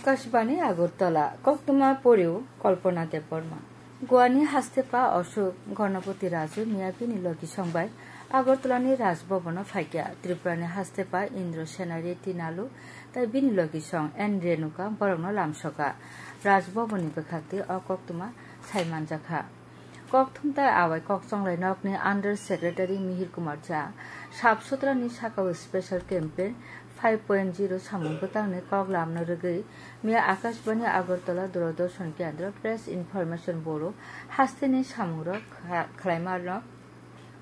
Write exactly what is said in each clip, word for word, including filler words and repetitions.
Akashbani Agartala, koktwma poriw Kalpana Debbarma. Goani hastepa Ashok Ganapati Raju miya bini logisong bai Agartalani Raj Bhavan-o phaikha. Tripurani hastepa Indra Sena Reddy Nalu tai bini logisong N Renuka borokno lamsoka. Raj Bhavan-ni bwkhakti o koktwma sai manjakha. Kokthum tai awai kokchonglai nokni Under Secretary Mihir Kumar Jha sap sutrani sakao special campaign five point zero samung bwtangni kok lamno rwgwi miya Akashbani Agartala Doordarshan Kendra Press Information Bureau hasteni samungrok kha-, khlaimarok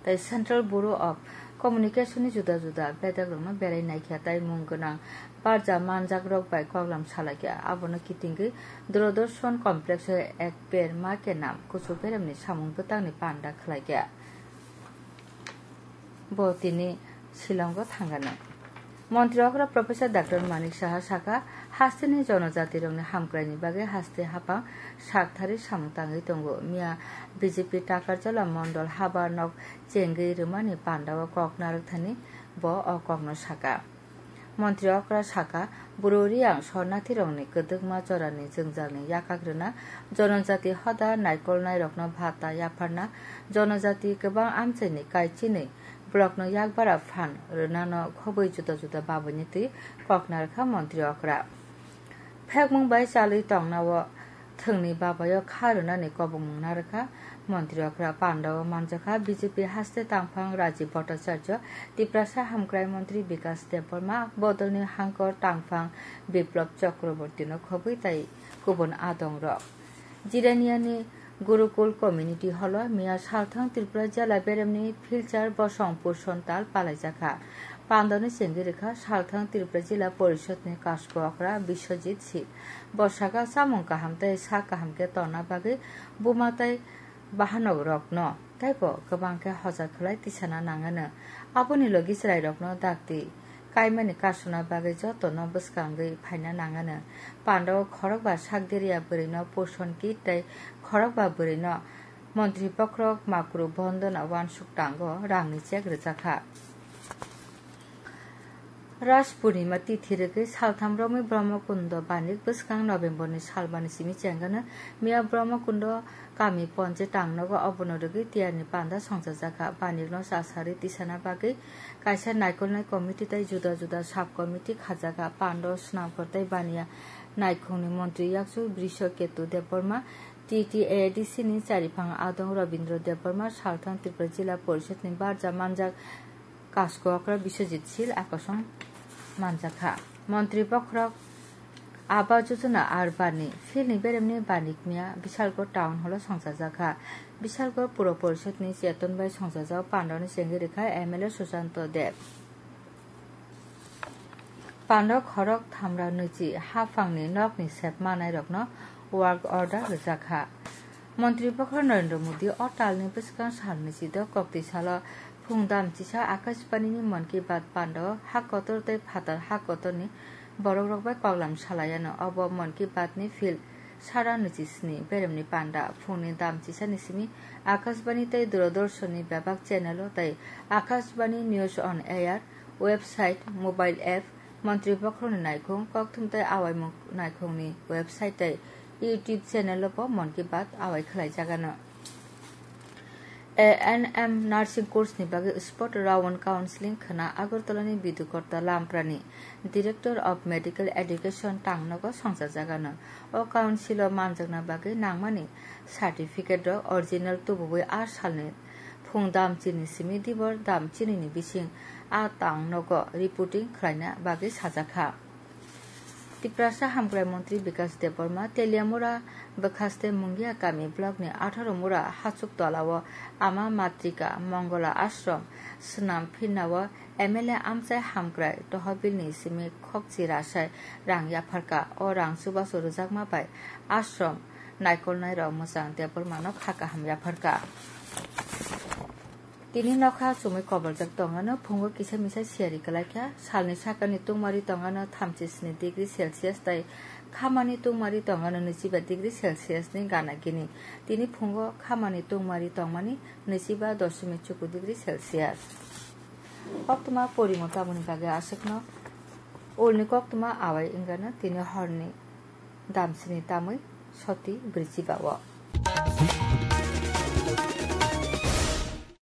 tai Central Bureau of Communication-ni juda juda bedakrokno berai naikha tai mung gwnang barja manjakrok bai koklam salaikha. Abono kitingwi Doordarshan Complex-o Ek Ped Maa Ke Naam kuchuk beremni samung bwtangni panda khlaikha. Bo tini Shillongo thangano. Montri okra Professor Doctor Manik Saha sakha, hasteni jonojatirokni hamkraini bagwi haste haphang sakthari samung tangwi tongo. Miya B J P Takarjala Mondol habar nok chengwi rwmani pandao kok narwk thani bo o kokno sakha. Montri okra sakha, Bru Reang sornathirokni kwdwkma jorani jwngjalni yakak rwna, jonojati hoda naikolnairokno bhata yapharna, jonojati kwbang amchaini kaichini blockno yakbara phan rwnano khobwi juda juda babuni twi kok narwkha montri okra. Phekmung bai chalwi tongnao thwngni babaio kha rwnani kobongmung narwkha. Montri okra pandao manjakha B J P haste tangphang Rajiv Bhattacharya, Tiprasa hamkrai montri Bikas Debbarma, bodolni hangkor tangphang Biplab Chakrabortino khobwi tai kubun adongrok. Jiraniani Gurukul Community Hall-o miya salthang Tripura jila beremni philchar bosong puson tal palaijakha. Pandoni chengwi rwkha salthang Tripura Jila Porishodni kasko okra Biswajit Sil. Bo sakha, chamung kaham tei sak kaham khe tonna bagwi buma tei bahanok rokno teibo kwbang khe hojar khlai tisana nangano. Aboni logi chwrairokno dakti kaimani kasuna bagwi jotono bwskangwi phaina nangano. Pandao khorokba sak diriya bwrwino puson kit tei khorokba bwrwino montri bokhorok makru bondona uansuk tango rangni chek rwjakha. Ras Purnima tithi rwgwi saltham romwi Brahmakundo banik bwskang November ni salbani simi chengano miya Brahmakundo kami ponje tangnogo obono rwgwi tiyarni panda songchajakha. Banikno chasari tisana bagwi kaisa naikolnai committee tei juda juda sub committee khajakha. Pando Snamkhor tei Baniya naikhungni montri yakchu Brisho Ketu Debbarma, T T A D C ni chariphang adong Rabindra Debbarma, salthang Tripura Jila Porishodni barja manjak kasko okra Biswajit Sil akosong manjakha. Montri bokhorok Awas Yojana Urban ni field ni beremni banik miya Bishalgarh Town Hall o songchajakha. Bishalgarh Puro Porishodni cheton bai songjajak pandoni chengwi rwkha M L A Susanto Deb. Pando khorok thamra nwichi haphangni nokni sep manairokno work order rwjakha. Montri bokhorok Narendra Modi o talni bwskang salni chido koktwi salo phung dam chisa Akashbani ni Mann Ki Baat pando ha kotor tei phatar ha kotorni borokrok bai koklam salayano. Obo Mann Ki Baat ni field sara nwichi sni beremni panda phungni dam chisani simi Akashbani tei Doordarshan ni bebak channel o tei Akashbani News on Air website, mobile app, Montri bokhorokni naikhung, kokthum tei awaimung naikhungni website tei YouTube channel-o bo Mann Ki Baat awai khlaijagano. A N M nursing course ni bagwi spot round counseling khwna Agartala ni Bidu Kotta Lamprani, Director of Medical Education tangnogo songchajagano. O council o manjakna bagwi nangmani certificate rok original tubuwi a salni phung dam chini simi dibor dam chinini bising a tang nogo reporting khlaina bagwi sajakha. Tiprasa hamkrai montri Bikas Debbarma Teliamura bwkhaste Mungia kami block ni atharo mura hachuk tola o Ama Matrika Mongola Ashram swnam phirna o M L A amchai hamkrai tohobil ni simi khokchi rasai rang yapharkha. O rang chubachu rwjakma bai ashram naikolnai rok mwchang Debbarma no kha kaham yapharkha. Tini nokha chumui koboljak tongano, phungo kisa misa siyari kwlaikha. Salni sakani tungmari tongano thamchi sni degree Celsius tei khamani tungmari tongano nwichiba degree Celsius ni gana gini. Tini phungo khamani tungmari tongmani nwichiba doshomik chuku degree Celsius. Koktwma porimo tamoni bagwi aswkno ulni koktwma awai wngano tini horni Damsini tamwi soti bwrwi chiba-o.